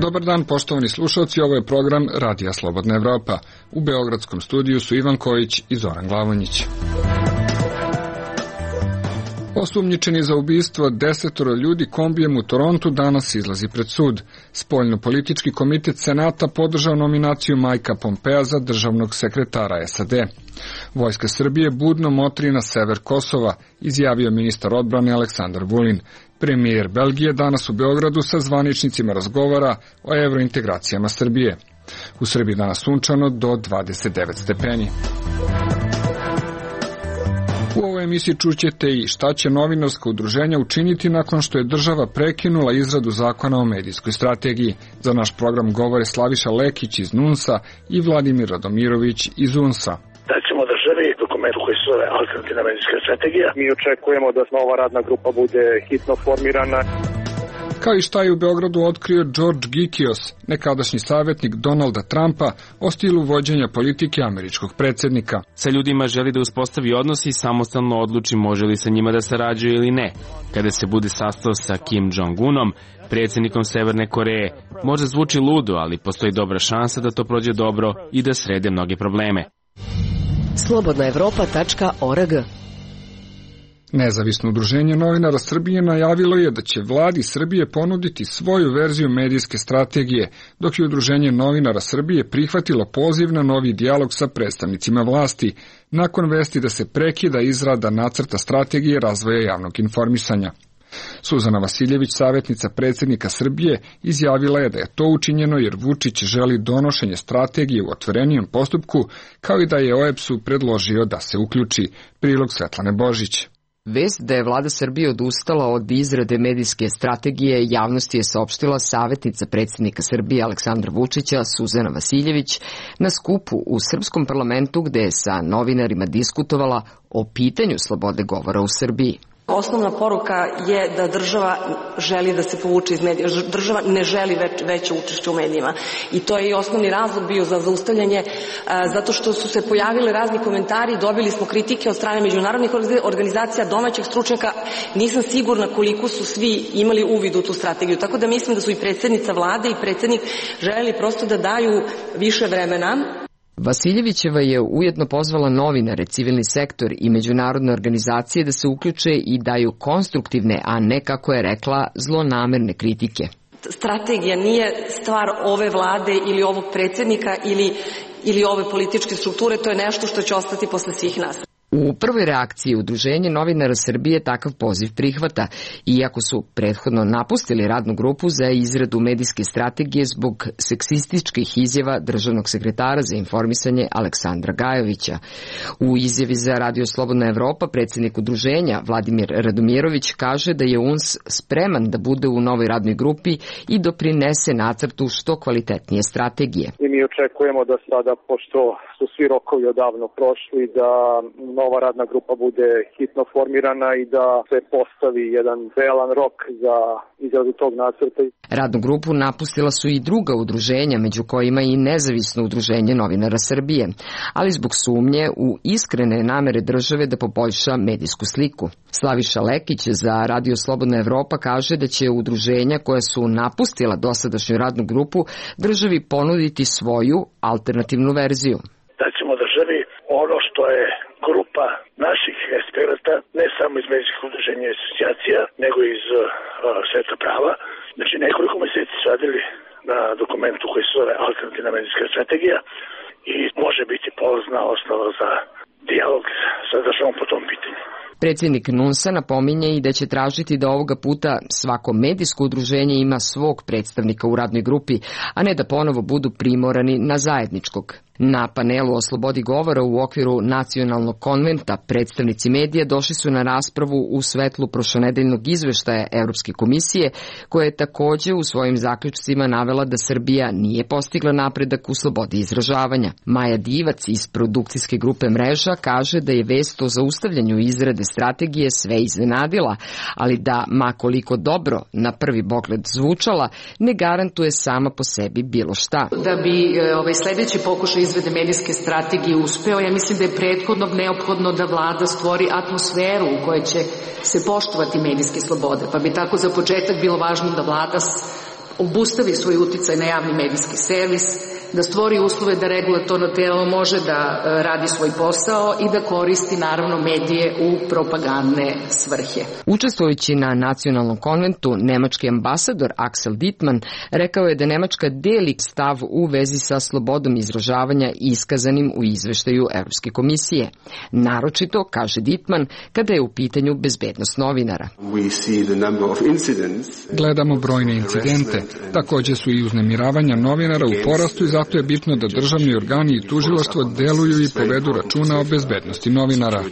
Dobar dan, poštovani slušalci, ovo je program Radija Slobodna Evropa. U beogradskom studiju su Ivan Kojić i Zoran Glavonjić. Osumnjičeni za ubistvo 10 ljudi kombijem u Torontu danas izlazi pred sud. Spoljno-politički komitet Senata podržao nominaciju Majka Pompea za državnog sekretara SAD. Vojska Srbije budno motri na sever Kosova, izjavio ministar odbrane Aleksandar Vulin. Premijer Belgije danas u Beogradu sa zvaničnicima razgovara o evrointegracijama Srbije. U Srbiji danas sunčano do 29 stepeni. U ovoj emisiji čućete i šta će novinarska udruženja učiniti nakon što je država prekinula izradu zakona o medijskoj strategiji. Za naš program govore Slaviša Lekić iz NUNS-a i Vladimir Radomirović iz UNS-a. Daćemo državi dokument koji se zove alternativna medijska strategija. Mi očekujemo da nova radna grupa bude hitno formirana. Kao i šta je u Beogradu otkrio George Gikios, nekadašnji savjetnik Donalda Trumpa o stilu vođenja politike američkog predsjednika. Sa ljudima želi da uspostavi odnos i samostalno odluči može li sa njima da sarađuje ili ne. Kada se bude sastao sa Kim Jong-unom, predsjednikom Severne Koreje, možda zvuči ludo, ali postoji dobra šansa da to prođe dobro i da srede mnoge probleme. Slobodnaevropa.org. Nezavisno udruženje novinara Srbije najavilo je da će vladi Srbije ponuditi svoju verziju medijske strategije, dok je udruženje novinara Srbije prihvatilo poziv na novi dijalog sa predstavnicima vlasti, nakon vesti da se prekida izrada nacrta strategije razvoja javnog informisanja. Suzana Vasiljević, savjetnica predsjednika Srbije, izjavila je da je to učinjeno jer Vučić želi donošenje strategije u otvorenijem postupku, kao i da je OEBS-u predložio da se uključi. Prilog Svetlane Božić. Vest da je vlada Srbije odustala od izrade medijske strategije javnosti je saopštila savjetnica predsjednika Srbije Aleksandra Vučića Suzana Vasiljević na skupu u Srpskom parlamentu gde je sa novinarima diskutovala o pitanju slobode govora u Srbiji. Osnovna poruka je da država želi da se povuče iz medija. Država ne želi veće učešće u medijima. I to je i osnovni razlog bio za zaustavljanje, zato što su se pojavili razni komentari, dobili smo kritike od strane međunarodnih organizacija, domaćih stručnjaka. Nisam sigurna koliko su svi imali uvid u tu strategiju. Tako da mislim da su i predsjednica vlade i predsjednik želeli prosto da daju više vremena. Vasiljevićeva je ujedno pozvala novinare, civilni sektor i međunarodne organizacije da se uključe i daju konstruktivne, a ne, kako je rekla, zlonamerne kritike. Strategija nije stvar ove vlade ili ovog predsjednika ili ove političke strukture, to je nešto što će ostati posle svih nas. U prvoj reakciji Udruženje novinara Srbije takav poziv prihvata, iako su prethodno napustili radnu grupu za izradu medijske strategije zbog seksističkih izjava državnog sekretara za informisanje Aleksandra Gajovića. U izjavi za Radio Slobodna Evropa predsjednik udruženja Vladimir Radomirović kaže da je UNS spreman da bude u novoj radnoj grupi i doprinese nacrtu što kvalitetnije strategije. I mi očekujemo da sada, pošto su svi rokovi odavno prošli, da nova radna grupa bude hitno formirana i da se postavi jedan realan rok za izradu tog nacrta. Radnu grupu napustila su i druga udruženja, među kojima i nezavisno udruženje novinara Srbije, ali zbog sumnje u iskrene namere države da poboljša medijsku sliku. Slaviša Lekić za Radio Slobodna Evropa kaže da će udruženja koja su napustila dosadašnju radnu grupu državi ponuditi svoju alternativnu verziju. Da ćemo državi ono što je grupa naših eksperata, ne samo iz medijskih udruženja i asocijacija, nego iz sveta prava. Znači, nekoliko meseci su radili na dokumentu koji se zove alternativna medijska strategija i može biti polazna osnova za dijalog sa državom po tom pitanju. Predsjednik NUNS-a napominje i da će tražiti da ovoga puta svako medijsko udruženje ima svog predstavnika u radnoj grupi, a ne da ponovo budu primorani na zajedničkog. Na panelu o slobodi govora u okviru Nacionalnog konventa predstavnici medija došli su na raspravu u svetlu prošlonedeljnog izveštaja Evropske komisije, koja je takođe u svojim zaključcima navela da Srbija nije postigla napredak u slobodi izražavanja. Maja Divac iz produkcijske grupe Mreža kaže da je vest o zaustavljanju izrade strategije sve iznenadila, ali da, ma koliko dobro na prvi pogled zvučala, ne garantuje sama po sebi bilo šta. Da bi sledeći pokušaj izrade medijske strategije uspeo. Ja mislim da je prethodno neophodno da vlada stvori atmosferu u kojoj će se poštovati medijske slobode, pa bi tako za početak bilo važno da vlada obustavi svoj uticaj na javni medijski servis, da stvori uslove da regulatorno telo može da radi svoj posao i da koristi naravno medije u propagandne svrhe. Učestvujući na nacionalnom konventu, nemački ambasador Axel Dittmann rekao je da Nemačka deli stav u vezi sa slobodom izražavanja iskazanim u izveštaju Evropske komisije. Naročito, kaže Dittmann, kada je u pitanju bezbednost novinara. Gledamo brojne incidente, također su i uznemiravanja novinara u porastu i zato je bitno da državni organi i tužilaštvo deluju i povedu računa o bezbednosti novinara.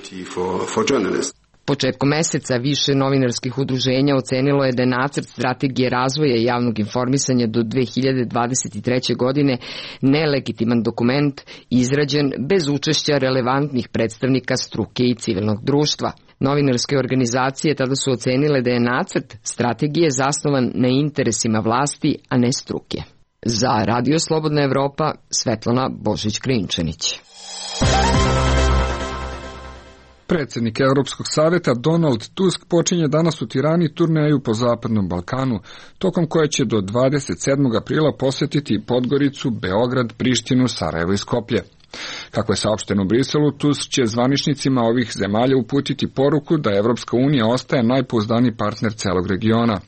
Početkom meseca više novinarskih udruženja ocenilo je da je nacrt strategije razvoja javnog informisanja do 2023. godine nelegitiman dokument izrađen bez učešća relevantnih predstavnika struke i civilnog društva. Novinarske organizacije tada su ocenile da je nacrt strategije zasnovan na interesima vlasti, a ne struke. Za Radio Slobodna Evropa, Svetlana Božić-Krinčanić. Predsjednik Europskog saveta Donald Tusk počinje danas u Tirani turneju po Zapadnom Balkanu, tokom koje će do 27. aprila posjetiti Podgoricu, Beograd, Prištinu, Sarajevo i Skoplje. Kako je saopšteno u Briselu, Tusk će zvaničnicima ovih zemalja uputiti poruku da Evropska unija ostaje najpouzdaniji partner celog regiona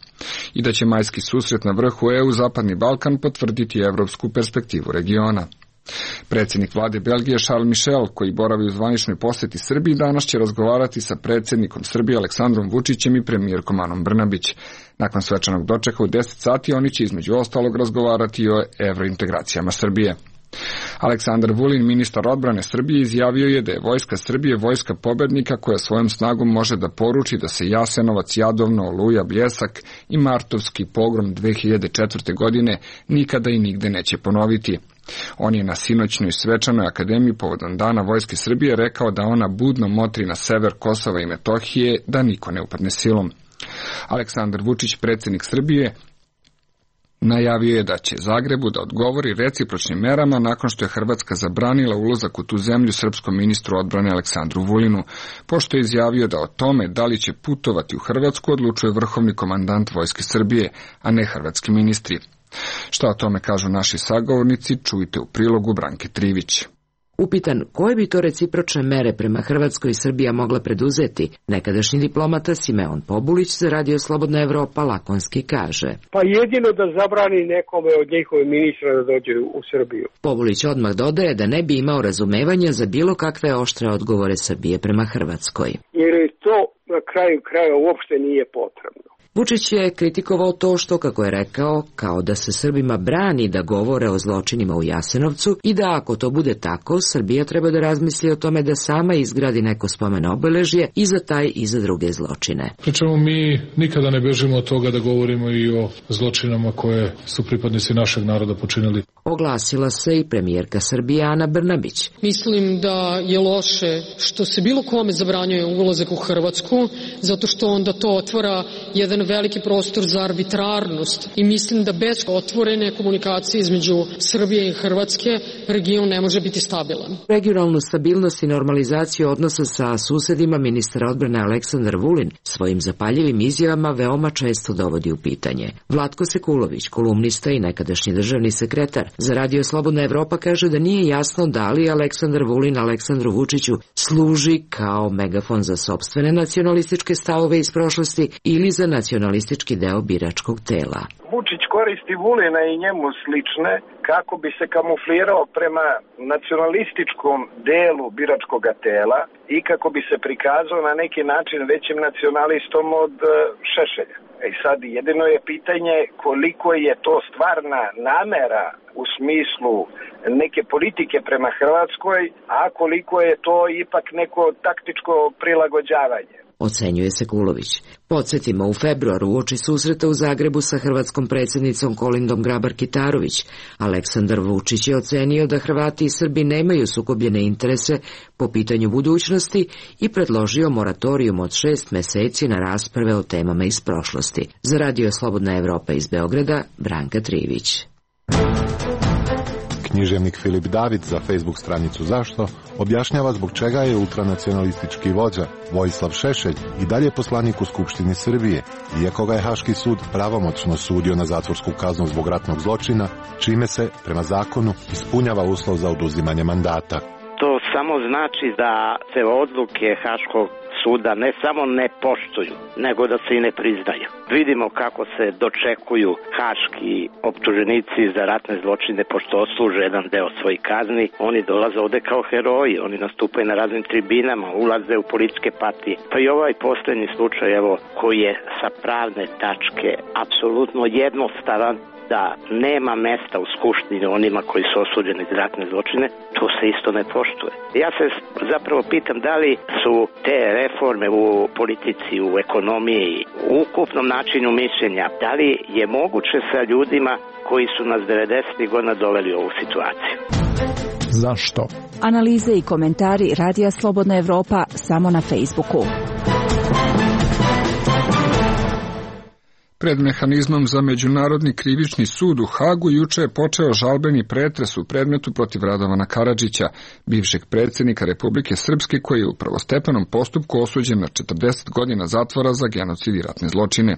i da će majski susret na vrhu EU Zapadni Balkan potvrditi evropsku perspektivu regiona. Predsjednik vlade Belgije Charles Michel, koji boravi u zvaničnoj posjeti Srbiji, danas će razgovarati sa predsjednikom Srbije Aleksandrom Vučićem i premijerkom Anom Brnabić. Nakon svečanog dočeka u 10 sati oni će između ostalog razgovarati o evrointegracijama Srbije. Aleksandar Vulin, ministar odbrane Srbije, izjavio je da je vojska Srbije vojska pobednika koja svojom snagom može da poruči da se Jasenovac, Jadovno, Oluja, Bljesak i Martovski pogrom 2004. godine nikada i nigde neće ponoviti. On je na sinoćnoj svečanoj akademiji povodom Dana Vojske Srbije rekao da ona budno motri na sever Kosova i Metohije, da niko ne upadne silom. Aleksandar Vučić, predsjednik Srbije, najavio je da će Zagrebu da odgovori recipročnim merama nakon što je Hrvatska zabranila ulazak u tu zemlju srpskom ministru odbrane Aleksandru Vulinu, pošto je izjavio da o tome da li će putovati u Hrvatsku odlučuje vrhovni komandant Vojske Srbije, a ne hrvatski ministri. Šta o tome kažu naši sagovornici, čujte u prilogu Branke Trivić. Upitan koje bi to recipročne mere prema Hrvatskoj i Srbija mogla preduzeti, nekadašnji diplomata Simeon Pobulić za Radio Slobodna Evropa lakonski kaže: Pa jedino da zabrani nekome od njihove ministra da dođe u Srbiju. Pobulić odmah dodaje da ne bi imao razumevanja za bilo kakve oštre odgovore Srbije prema Hrvatskoj. Jer to na kraju kraja uopšte nije potrebno. Vučić je kritikovao to što, kako je rekao, kao da se Srbima brani da govore o zločinima u Jasenovcu i da ako to bude tako, Srbija treba da razmisli o tome da sama izgradi neko spomen obeležje i za taj i za druge zločine. Pričemu mi nikada ne bežimo od toga da govorimo i o zločinama koje su pripadnici našeg naroda počinili. Oglasila se i premijerka Srbije Ana Brnabić. Mislim da je loše što se bilo kome zabranjuje ulazak u Hrvatsku, zato što onda to otvara jedan veliki prostor za arbitrarnost i mislim da bez otvorene komunikacije između Srbije i Hrvatske region ne može biti stabilan. Regionalnu stabilnost i normalizaciju odnosa sa susedima ministar odbrane Aleksandar Vulin svojim zapaljivim izjavama veoma često dovodi u pitanje. Vlatko Sekulović, kolumnista i nekadašnji državni sekretar za Radio Slobodna Evropa, kaže da nije jasno da li Aleksandar Vulin Aleksandru Vučiću služi kao megafon za sopstvene nacionalističke stavove iz prošlosti ili za nacionalistički deo biračkog tela. Vučić koristi Vulina i njemu slične kako bi se kamuflirao prema nacionalističkom delu biračkog tela i kako bi se prikazao na neki način većim nacionalistom od Šešelja. I sad jedino je pitanje koliko je to stvarna namera u smislu neke politike prema Hrvatskoj, a koliko je to ipak neko taktičko prilagođavanje. Ocenjuje Sekulović. Podsjetimo, u februaru uoči susreta u Zagrebu sa hrvatskom predsjednicom Kolindom Grabar-Kitarović, Aleksandar Vučić je ocenio da Hrvati i Srbi nemaju sukobljene interese po pitanju budućnosti i predložio moratorijum od 6 meseci na rasprave o temama iz prošlosti. Za Radio Slobodna Evropa iz Beograda, Branka Trivić. Književnik Filip David za Facebook stranicu Zašto objašnjava zbog čega je ultranacionalistički vođa Vojislav Šešelj i dalje poslanik u Skupštini Srbije, iako ga je Haški sud pravomoćno sudio na zatvorsku kaznu zbog ratnog zločina, čime se, prema zakonu, ispunjava uslov za oduzimanje mandata. To samo znači da se odluke Haškog suda ne samo ne poštuju, nego da se i ne priznaju. Vidimo kako se dočekuju haški optuženici za ratne zločine, pošto odsluže jedan deo svojih kazni. Oni dolaze ovde kao heroji, oni nastupaju na raznim tribinama, ulaze u političke partije. Pa i ovaj poslednji slučaj, evo, koji je sa pravne tačke apsolutno jednostavan, da nema mesta u Skupštini onima koji su osuđeni za ratne zločine, to se isto ne poštuje. Ja se zapravo pitam da li su te reforme u politici, u ekonomiji, u ukupnom načinu mišljenja, da li je moguće sa ljudima koji su nas 90. godina doveli u ovu situaciju. Zašto? Analize i komentari Radija Slobodna Evropa samo na Facebooku. Pred mehanizmom za Međunarodni krivični sud u Hagu juče je počeo žalbeni pretres u predmetu protiv Radovana Karadžića, bivšeg predsjednika Republike Srpske koji je u prvostepenom postupku osuđen na 40 godina zatvora za genocid i ratne zločine.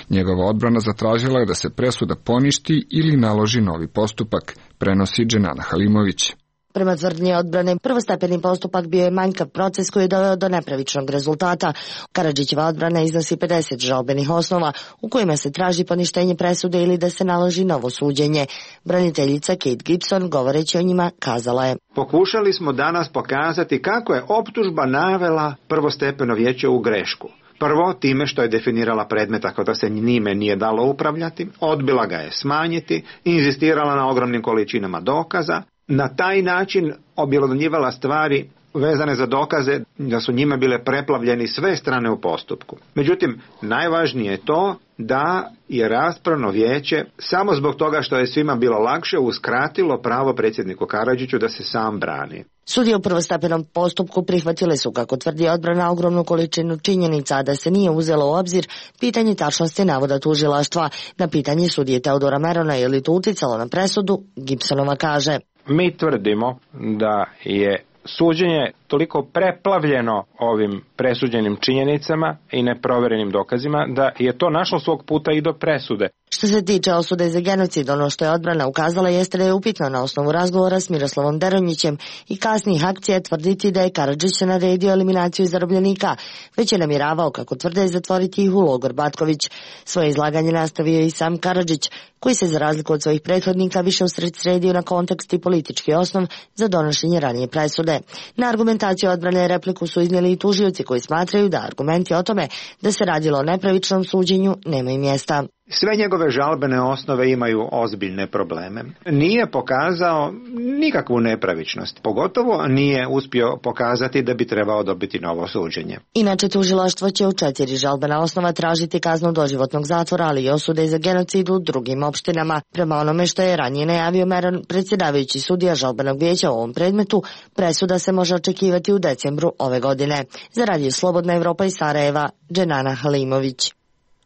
Njegova odbrana zatražila je da se presuda poništi ili naloži novi postupak, prenosi Dženana Halimović. Prema tvrdnji odbrane, prvostepeni postupak bio je manjkav proces koji je doveo do nepravičnog rezultata. Karadžićeva odbrana iznosi 50 žalbenih osnova u kojima se traži poništenje presude ili da se naloži novo suđenje. Braniteljica Kate Gibson, govoreći o njima, kazala je: Pokušali smo danas pokazati kako je optužba navela prvostepeno vijeće u grešku. Prvo, time što je definirala predmet tako da se njime nije dalo upravljati, odbila ga je smanjiti, inzistirala na ogromnim količinama dokaza, na taj način objelodnjivala stvari vezane za dokaze da su njime bile preplavljeni sve strane u postupku. Međutim, najvažnije je to da je raspravno vijeće samo zbog toga što je svima bilo lakše uskratilo pravo predsjedniku Karadžiću da se sam brani. Sudije u prvostepenom postupku prihvatile su, kako tvrdi odbrana, ogromnu količinu činjenica, da se nije uzelo u obzir pitanje tačnosti navoda tužilaštva. Na pitanje sudije Teodora Merona je li to uticalo na presudu, Gibsonova kaže: Mi tvrdimo da je suđenje toliko preplavljeno ovim presuđenim činjenicama i neproverenim dokazima da je to našlo svog puta i do presude. Što se tiče osude za genocid, ono što je odbrana ukazala jeste da je upitno na osnovu razgovora s Miroslavom Deronjićem i kasnijih akcija tvrditi da je Karadžić naredio eliminaciju zarobljenika, već je namjeravao, kako tvrde, zatvoriti ih u logor Batković. Svoje izlaganje nastavio i sam Karadžić, koji se za razliku od svojih prethodnika više usredsredio na kontekst i politički osnov za donošenje ranije presude. Na argumentaciju odbrane repliku su iznijeli i tužioci koji smatraju da argumenti o tome da se radilo o nepravičnom suđenju nemaju mjesta. Sve njegove žalbene osnove imaju ozbiljne probleme. Nije pokazao nikakvu nepravičnost, pogotovo nije uspio pokazati da bi trebao dobiti novo suđenje. Inače, tužilaštvo će u 4 žalbena osnova tražiti kaznu doživotnog zatvora, ali i osude za genocid u drugim opštinama. Prema onome što je ranije najavio Meron, predsjedavajući sudija žalbenog vijeća u ovom predmetu, presuda se može očekivati u decembru ove godine. Za Radio Slobodna Evropa iz Sarajeva, Dženana Halimović.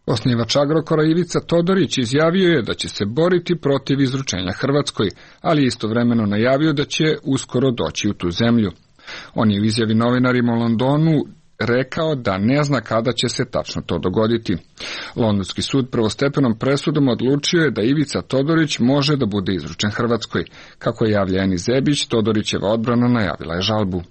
Osnivač Agrokora Ivica Todorić izjavio je da će se boriti protiv izručenja Hrvatskoj, ali istovremeno najavio da će uskoro doći u tu zemlju. On je u izjavi novinarima u Londonu rekao da ne zna kada će se tačno to dogoditi. Londonski sud prvostepenom presudom odlučio je da Ivica Todorić može da bude izručen Hrvatskoj. Kako je javlja Eni Zebić, Todorićeva odbrana najavila je žalbu.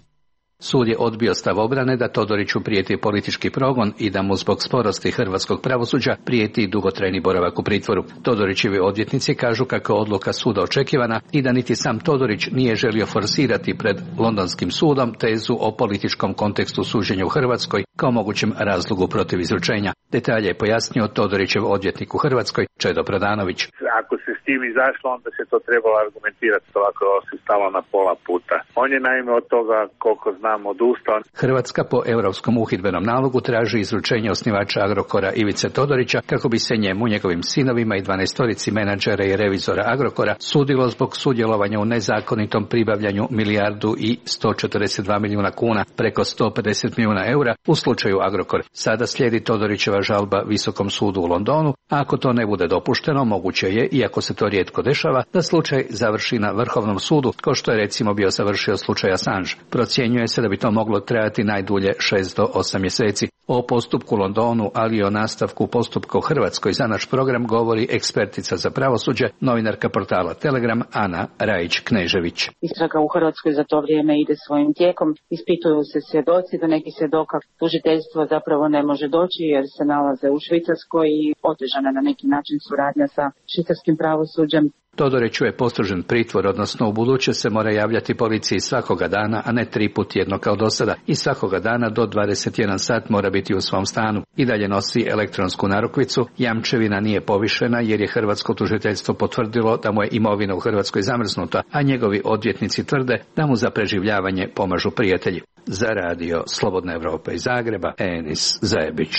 Sud je odbio stav obrane da Todoriću prijeti politički progon i da mu zbog sporosti hrvatskog pravosuđa prijeti dugotrajni boravak u pritvoru. Todorićevi odvjetnici kažu kako je odluka suda očekivana i da niti sam Todorić nije želio forsirati pred londonskim sudom tezu o političkom kontekstu suđenja u Hrvatskoj kao mogućem razlogu protiv izručenja. Detalje je pojasnio Todorićev odvjetnik u Hrvatskoj, Čedo Pradanović. Ako se s tim izašlo, onda se to trebalo argumentirati, ovako se stalo na pola puta. On je naime od toga, koliko znam, odustao. Hrvatska po europskom uhidbenom nalogu traži izručenje osnivača Agrokora Ivice Todorića kako bi se njemu, njegovim sinovima i 12 menadžera i revizora Agrokora sudilo zbog sudjelovanja u nezakonitom pribavljanju milijardu i 142 milijuna kuna, preko 150 milijuna eura u slučaju Agrokor. Sada slijedi Todorićeva žalba Visokom sudu u Londonu, a ako to ne bude dopušteno, moguće je, iako se to rijetko dešava, da slučaj završi na Vrhovnom sudu, kao što je recimo bio završio slučaj Assange. Procjenjuje se da bi to moglo trajati najdulje 6 do 8 mjeseci. O postupku u Londonu, ali i o nastavku postupka u Hrvatskoj za naš program govori ekspertica za pravosuđe, novinarka portala Telegram Ana Rajić-Knežević. Istraga u Hrvatskoj za to vrijeme ide svojim tijekom, ispituju se svjedoci, do nekih svjedoka tužiteljstvo zapravo ne može doći jer se nalaze u Švicarskoj i otežana na neki način suradnja sa švicarskim pravosuđem. Todoriću je postrožen pritvor, odnosno u buduće se mora javljati policiji svakoga dana, a ne 3 puta tjedno kao do sada, i svakoga dana do 21 sat mora biti u svom stanu. I dalje nosi elektronsku narukvicu, jamčevina nije povišena jer je hrvatsko tužiteljstvo potvrdilo da mu je imovina u Hrvatskoj zamrznuta, a njegovi odvjetnici tvrde da mu za preživljavanje pomažu prijatelji. Za radio Slobodna Evropa iz Zagreba, Enis Zajebić.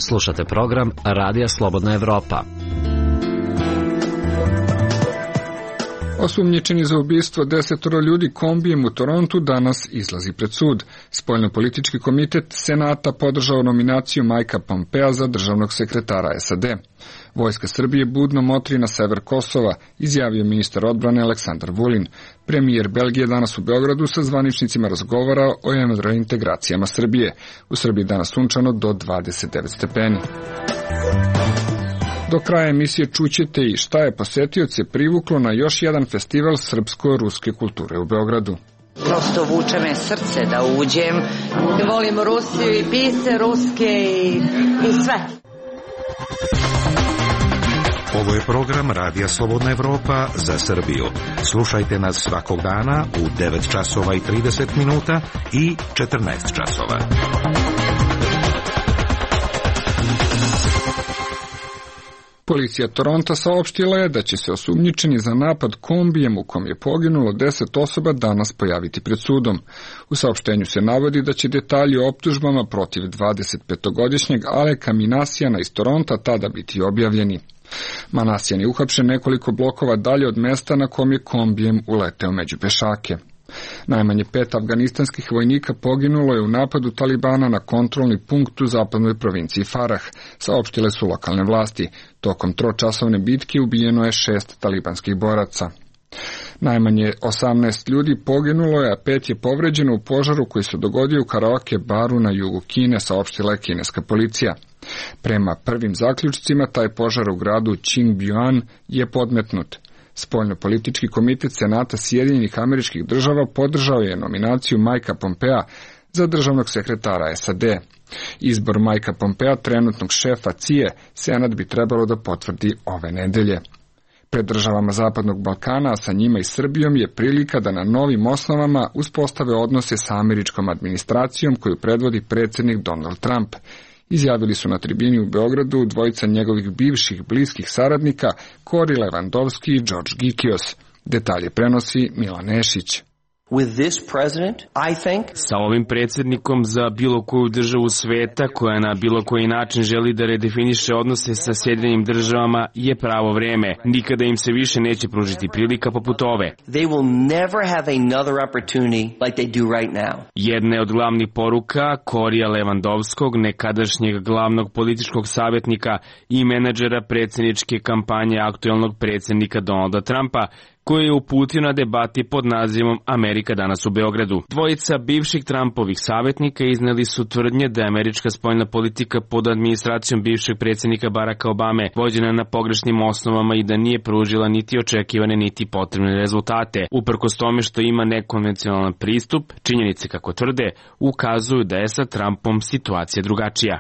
Slušate program Radija Slobodna Evropa. Osumnjičeni za ubistvo 10 ljudi kombijem u Torontu danas izlazi pred sud. Spoljnopolitički komitet Senata podržao nominaciju Majka Pompea za državnog sekretara SAD. Vojska Srbije budno motri na sever Kosova, izjavio ministar odbrane Aleksandar Vulin. Premijer Belgije danas u Beogradu sa zvaničnicima razgovara o reintegracijama Srbije. U Srbiji danas sunčano do 29 stepeni. Do kraja emisije čućete i šta je posetioce privuklo na još jedan festival srpsko-ruske kulture u Beogradu. Prosto vuče me srce da uđem. Volim Rusiju i pise ruske i sve. Ovo je program Radija Slobodna Evropa za Srbiju. Slušajte nas svakog dana u 9 časova i 30 minuta i 14 časova. Policija Toronta saopštila je da će se osumnjičeni za napad kombijem u kom je poginulo 10 osoba danas pojaviti pred sudom. U saopštenju se navodi da će detalji o optužbama protiv 25-godišnjeg Aleka Minasijana iz Toronta tada biti objavljeni. Manasijan je uhapšen nekoliko blokova dalje od mesta na kom je kombijem uleteo među pešake. Najmanje 5 afganistanskih vojnika poginulo je u napadu Talibana na kontrolni punkt u zapadnoj provinciji Farah, saopštile su lokalne vlasti. Tokom tročasovne bitke ubijeno je 6 talibanskih boraca. Najmanje 18 ljudi poginulo je, a 5 je povređeno u požaru koji se dogodio u karaoke baru na jugu Kine, saopštila je kineska policija. Prema prvim zaključcima, taj požar u gradu Qingyuan je podmetnut. Spoljnopolitički komitet Senata Sjedinjenih Američkih Država podržao je nominaciju Majka Pompea za državnog sekretara SAD. Izbor Majka Pompea, trenutnog šefa CIA, Senat bi trebalo da potvrdi ove nedelje. Pred državama Zapadnog Balkana, a sa njima i Srbijom, je prilika da na novim osnovama uspostave odnose sa američkom administracijom koju predvodi predsjednik Donald Trump. Izjavili su na tribini u Beogradu dvojica njegovih bivših bliskih saradnika Kori Levandovski i George Gikios. Detalje prenosi Milan Nešić. Sa ovim predsjednikom za bilo koju državu sveta koja na bilo koji način želi da redefiniše odnose sa Sjedinjenim Državama je pravo vreme. Nikada im se više neće pružiti prilika poput ove. Jedna od glavnih poruka Korija Levandovskog, nekadašnjeg glavnog političkog savjetnika i menadžera predsjedničke kampanje aktuelnog predsjednika Donalda Trumpa, koji je uputio na debati pod nazivom Amerika danas u Beogradu. Dvojica bivših Trumpovih savjetnika izneli su tvrdnje da je američka spoljna politika pod administracijom bivšeg predsjednika Baracka Obame vođena na pogrešnim osnovama i da nije pružila niti očekivane niti potrebne rezultate. Uprkos tome što ima nekonvencionalan pristup, činjenice, kako tvrde, ukazuju da je sa Trumpom situacija drugačija.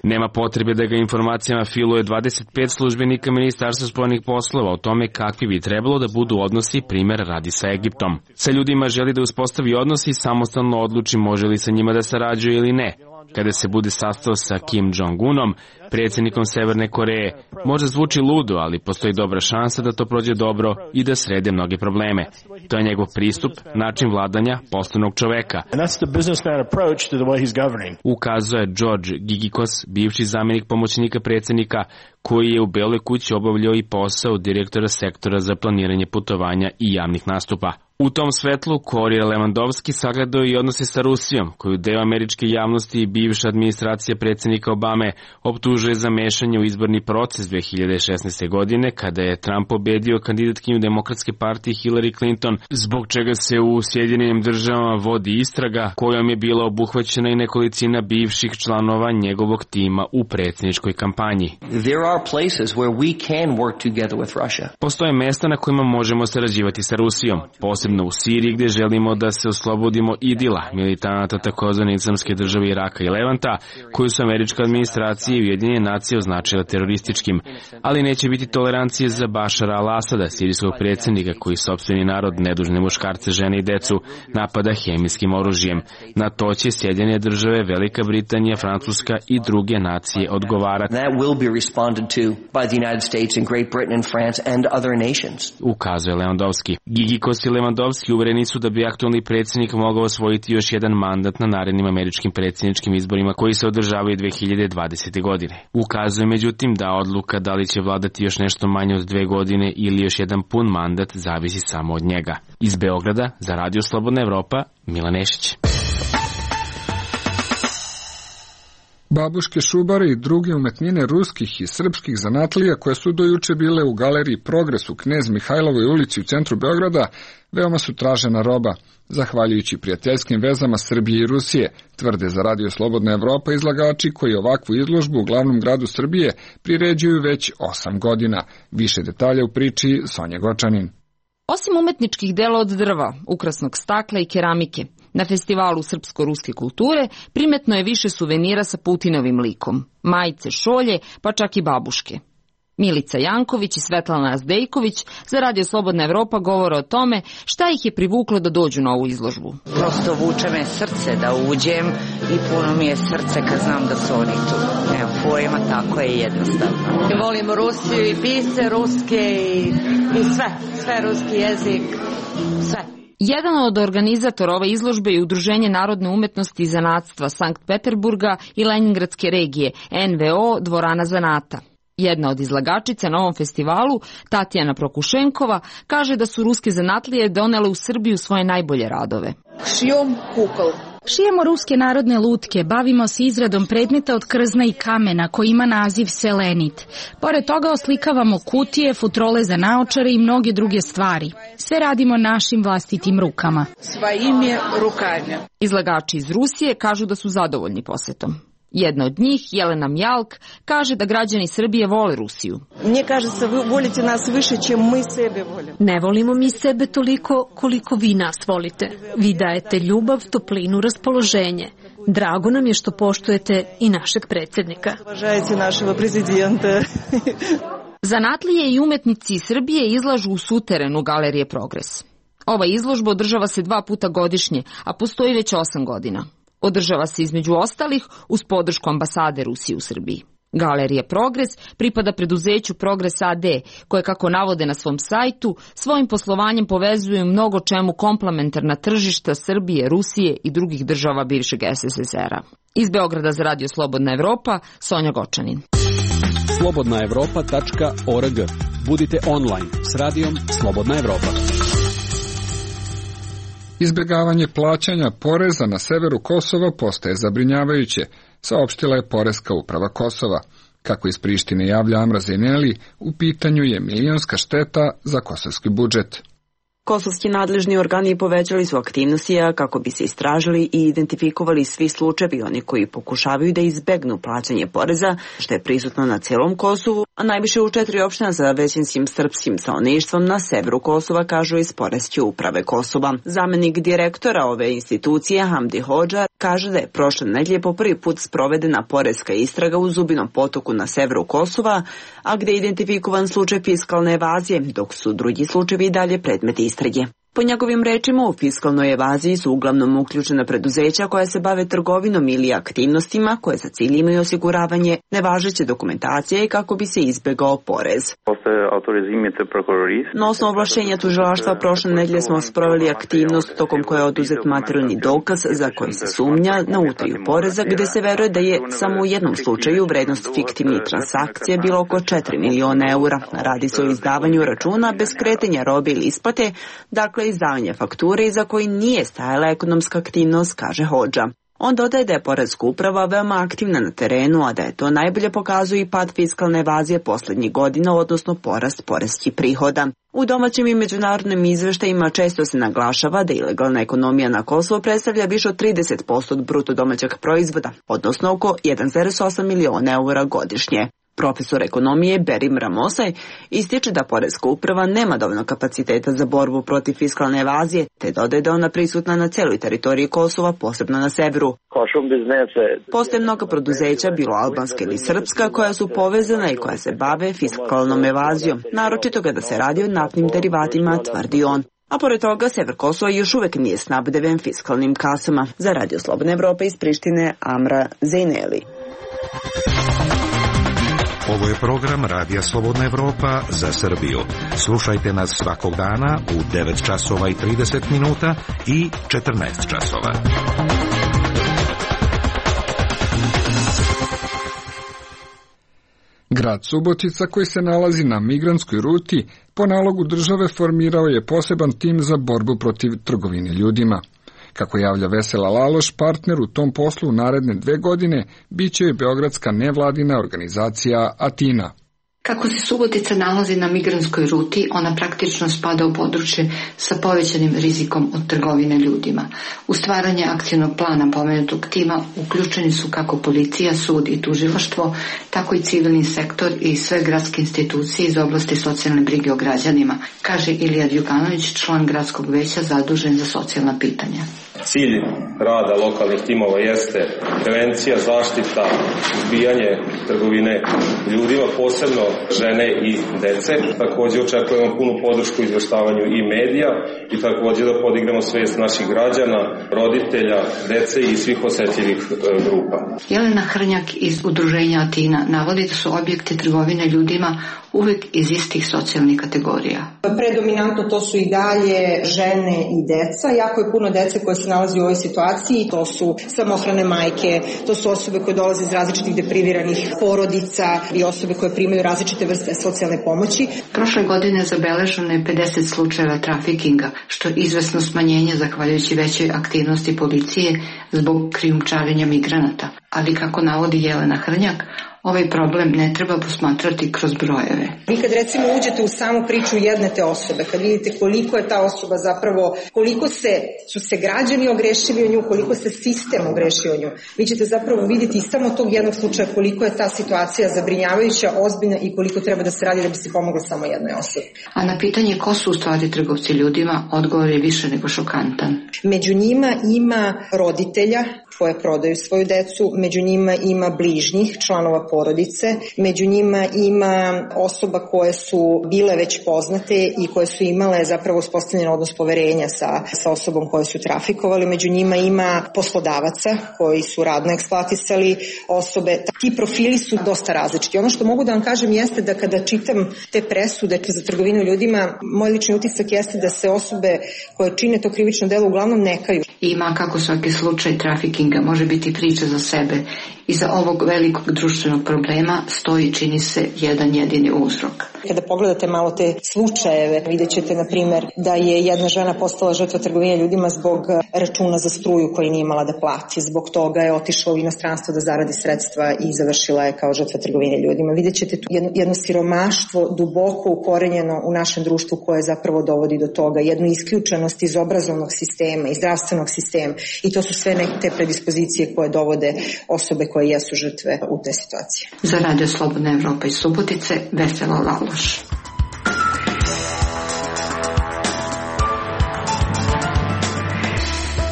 Nema potrebe da ga informacijama filuje 25 službenika Ministarstva spoljnih poslova o tome kakvi bi trebalo da budu odnosi, primjer radi sa Egiptom. Sa ljudima želi da uspostavi odnosi i samostalno odluči može li sa njima da sarađuje ili ne. Kada se bude sastao sa Kim Jong-unom, predsjednikom Severne Koreje, možda zvuči ludo, ali postoji dobra šansa da to prođe dobro i da srede mnoge probleme. To je njegov pristup, način vladanja poslovnog čoveka. Ukazuje George Gigikos, bivši zamjenik pomoćnika predsjednika, koji je u Beloj kući obavljao i posao direktora sektora za planiranje putovanja i javnih nastupa. U tom svetlu Korija Lewandowski sagledao i odnose sa Rusijom, koju deo američke javnosti i bivša administracija predsjednika Obame optužuje za mešanje u izborni proces 2016. godine, kada je Trump pobedio kandidatkinju Demokratske partije Hillary Clinton, zbog čega se u Sjedinjenim državama vodi istraga kojom je bila obuhvaćena i nekolicina bivših članova njegovog tima u predsjedničkoj kampanji. Postoje mesta na kojima možemo sarađivati sa Rusijom, posebno u Siriji gdje želimo da se oslobodimo IDIL-a, militanata takozvane Islamske države Iraka i Levanta, koju su američka administracija i Ujedinjene nacije označila terorističkim, ali neće biti tolerancije za Bašara al-Asada, sirijskog predsjednika koji sopstveni narod, nedužne muškarce, žene i decu, napada hemijskim oružjem. Na to će Sjedinjene države, Velika Britanija, Francuska i druge nacije odgovarati. Ukazuje Lewandowski. Gigikos i Lewandowski uvereni su da bi aktualni predsjednik mogao osvojiti još jedan mandat na narednim američkim predsjedničkim izborima koji se održavaju 2020. godine. Ukazuje međutim da odluka da li će vladati još nešto manje od 2 godine ili još jedan pun mandat zavisi samo od njega. Iz Beograda za Radio Slobodna Evropa, Milan Nešić. Babuške, šubare i druge umetnine ruskih i srpskih zanatlija koje su dojuče bile u galeriji Progres u Knez Mihajlovoj ulici u centru Beograda veoma su tražena roba, zahvaljujući prijateljskim vezama Srbije i Rusije, tvrde za Radio Slobodna Evropa izlagači koji ovakvu izložbu u glavnom gradu Srbije priređuju već 8 godina. Više detalja u priči Sonja Gočanin. Osim umetničkih dela od drva, ukrasnog stakla i keramike, na festivalu srpsko-ruske kulture primetno je više suvenira sa Putinovim likom, majice, šolje, pa čak i babuške. Milica Janković i Svetlana Azdejković za Radio Slobodna Evropa govore o tome šta ih je privuklo da dođu na ovu izložbu. Prosto vuče me srce da uđem i puno mi je srce kad znam da su oni tu. Evo, pojma, tako je jednostavno. Volim Rusiju i pisce ruske i sve ruski jezik, sve. Jedan od organizatora ove izložbe je Udruženje narodne umetnosti i zanatstva Sankt Peterburga i Leningradske regije, NVO Dvorana zanata. Jedna od izlagačica na ovom festivalu, Tatjana Prokušenkova, kaže da su ruske zanatlije donele u Srbiju svoje najbolje radove. Šijom kukol. Šijemo ruske narodne lutke, bavimo se izradom predmeta od krzna i kamena koji ima naziv selenit. Pored toga oslikavamo kutije, futrole za naočare i mnoge druge stvari. Sve radimo našim vlastitim rukama. Svojim rukama. Izlagači iz Rusije kažu da su zadovoljni posetom. Jedna od njih, Jelena Mjalk, kaže da građani Srbije vole Rusiju. Mne kažется, vi volite nas više, čem mi sebe volimo. Ne volimo mi sebe toliko koliko vi nas volite. Vi dajete ljubav, toplinu, raspoloženje. Drago nam je što poštujete i našeg predsjednika. Uvažajte našeg prezidenta. Zanatlije i umetnici iz Srbije izlažu u suterenu Galerije Progres. Ova izložba održava se 2 puta godišnje, a postoji već 8 godina. Održava se između ostalih uz podršku ambasade Rusije u Srbiji. Galerija Progres pripada preduzeću Progres AD, koje, kako navode na svom sajtu, svojim poslovanjem povezuju mnogo čemu komplementarna tržišta Srbije, Rusije i drugih država bivšeg SSSR-a. Iz Beograda za Radio Slobodna Evropa, Sonja Gočanin. slobodnaevropa.org. Budite online s radijom Slobodna Evropa. Izbjegavanje plaćanja poreza na severu Kosova postaje zabrinjavajuće, saopštila je Poreska uprava Kosova. Kako iz Prištine javlja Amra Zeneli, u pitanju je milionska šteta za kosovski budžet. Kosovski nadležni organi povećali su aktivnosti kako bi se istražili i identifikovali svi slučajevi oni koji pokušavaju da izbegnu plaćanje poreza, što je prisutno na celom Kosovu, a najviše u 4 opština sa većinskim srpskim stanovništvom na severu Kosova, kažu iz Poreske uprave Kosova. Zamenik direktora ove institucije Hamdi Hodža kaže da je prošle nedelje po prvi put sprovedena poreska istraga u Zubinom potoku na severu Kosova, a gde je identifikovan slučaj fiskalne evazije, dok su drugi slučajevi dalje predmeti istrage. Po njegovim rečima, u fiskalnoj evaziji su uglavnom uključena preduzeća koja se bave trgovinom ili aktivnostima koje za cilj imaju osiguravanje nevažeće dokumentacije i kako bi se izbegao porez. Na osnovu ovlašćenja tužilaštva prošle nedelje smo sproveli aktivnost tokom koje je oduzet materijalni dokaz za koji se sumnja na utaju poreza, gde se veruje da je samo u jednom slučaju vrednost fiktivnih transakcija bila oko 4 miliona eura. Radi se o izdavanju računa bez kretanja robe ili isplate, dakle izdavanje fakture iza koji nije stajala ekonomska aktivnost, kaže Hodža. On dodaje da je Poreska uprava veoma aktivna na terenu, a da je to najbolje pokazuje i pad fiskalne evazije poslednjih godina, odnosno porast poreskih prihoda. U domaćim i međunarodnim izveštajima često se naglašava da ilegalna ekonomija na Kosovo predstavlja više od 30% od bruto domaćeg proizvoda, odnosno oko 1,8 miliona eura godišnje. Profesor ekonomije Berim Ramosaj ističe da Poreska uprava nema dovoljno kapaciteta za borbu protiv fiskalne evazije, te dodaje da ona prisutna na celoj teritoriji Kosova, posebno na severu. Postoje mnoga preduzeća, bilo albanska ili srpska, koja su povezana i koja se bave fiskalnom evazijom, naročito kada se radi o naftnim derivatima, tvrdi on. A pored toga, sever Kosova još uvek nije snabdeven fiskalnim kasama. Za Radio Slobodna Evropa iz Prištine, Amra Zejneli. Ovo je program Radija Slobodna Evropa za Srbiju. Slušajte nas svakog dana u 9 časova i 30 minuta i 14 časova. Grad Subotica, koji se nalazi na migrantskoj ruti, po nalogu države formirao je poseban tim za borbu protiv trgovine ljudima. Kako javlja Vesela Laloš, partner u tom poslu u naredne 2 godine biće i beogradska nevladina organizacija Atina. Kako se Subotica nalazi na migrantskoj ruti, ona praktično spada u područje sa povećanim rizikom od trgovine ljudima. U stvaranje akcionog plana pomenutog tima uključeni su kako policija, sud i tužilaštvo, tako i civilni sektor i sve gradske institucije iz oblasti socijalne brige o građanima, kaže Ilija Đukanović, član gradskog veća zadužen za socijalna pitanja. Cilj rada lokalnih timova jeste prevencija, zaštita, izbijanje trgovine ljudima, posebno žene i dece. Također očekujemo punu podršku u izveštavanju i medija i također da podignemo svijest naših građana, roditelja, dece i svih osetljivih grupa. Jelena Hrnjak iz udruženja Atina navodi da su objekti trgovine ljudima uvek iz istih socijalnih kategorija. Predominantno to su i dalje žene i deca. Jako je puno dece koje se nalazi u ovoj situaciji. To su samohrane majke, to su osobe koje dolaze iz različitih depriviranih porodica i osobe koje primaju različite vrste socijalne pomoći. Prošle godine zabeleženo je 50 slučajeva trafikinga, što je izvesno smanjenje zahvaljujući većoj aktivnosti policije zbog krijumčarenja migranata. Ali kako navodi Jelena Hrnjak, ovaj problem ne treba posmatrati kroz brojeve. Vi kad recimo uđete u samu priču jedne te osobe, kad vidite koliko je ta osoba zapravo, koliko su se građani ogrešili o nju, koliko se sistem ogrešio o nju, vi ćete zapravo vidjeti iz samo tog jednog slučaja koliko je ta situacija zabrinjavajuća, ozbiljna i koliko treba da se radi da bi se pomoglo samo jednoj osobi. A na pitanje ko su u stvari trgovci ljudima, odgovor je više nego šokantan. Među njima ima roditelja koje prodaju svoju decu, među njima ima bližnjih, članova porodice, među njima ima osoba koje su bile već poznate i koje su imale zapravo uspostavljen odnos poverenja sa osobom koje su trafikovali, među njima ima poslodavaca koji su radno eksploatisali osobe. Ti profili su dosta različiti. Ono što mogu da vam kažem jeste da kada čitam te presude za trgovinu ljudima, moj lični utisak jeste da se osobe koje čine to krivično delo uglavnom ne kaju. Ima kako svaki slučaj trafikinga može biti priča za sebe. Iza ovog velikog društvenog problema stoji, čini se, jedan jedini uzrok. Kada pogledate malo te slučajeve, vidjet ćete, na primjer, da je jedna žena postala žrtva trgovine ljudima zbog računa za struju koji nije imala da plati. Zbog toga je otišla u inostranstvo da zaradi sredstva i završila je kao žrtva trgovine ljudima. Vidjet ćete tu jedno siromaštvo duboko ukorenjeno u našem društvu koje zapravo dovodi do toga. Jednu isključenost iz obrazovnog sistema, iz zdravstvenog sistema. I to su sve neke te predispozicije koje dovode osobe koje jesu žrtve u te situacije. Za Radio Slobodna Evropa iz Subotice, Vesela Laloš.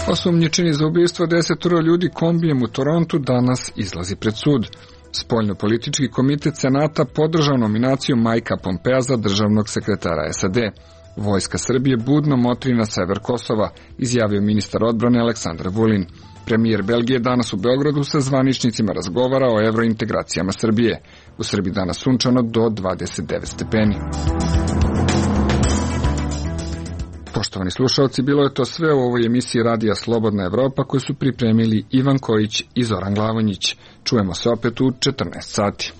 Osumnjičeni za ubistvo 10 ljudi kombijem u Torontu danas izlazi pred sud. Spoljno-politički komitet Senata podržao nominaciju Majka Pompea za državnog sekretara SAD. Vojska Srbije budno motri na sever Kosova, izjavio ministar odbrane Aleksandar Vulin. Premijer Belgije danas u Beogradu sa zvaničnicima razgovara o evrointegracijama Srbije. U Srbiji danas sunčano do 29 stepeni. Poštovani slušalci, bilo je to sve u ovoj emisiji Radija Slobodna Evropa koju su pripremili Ivan Kojić i Zoran Glavonjić. Čujemo se opet u 14 sati.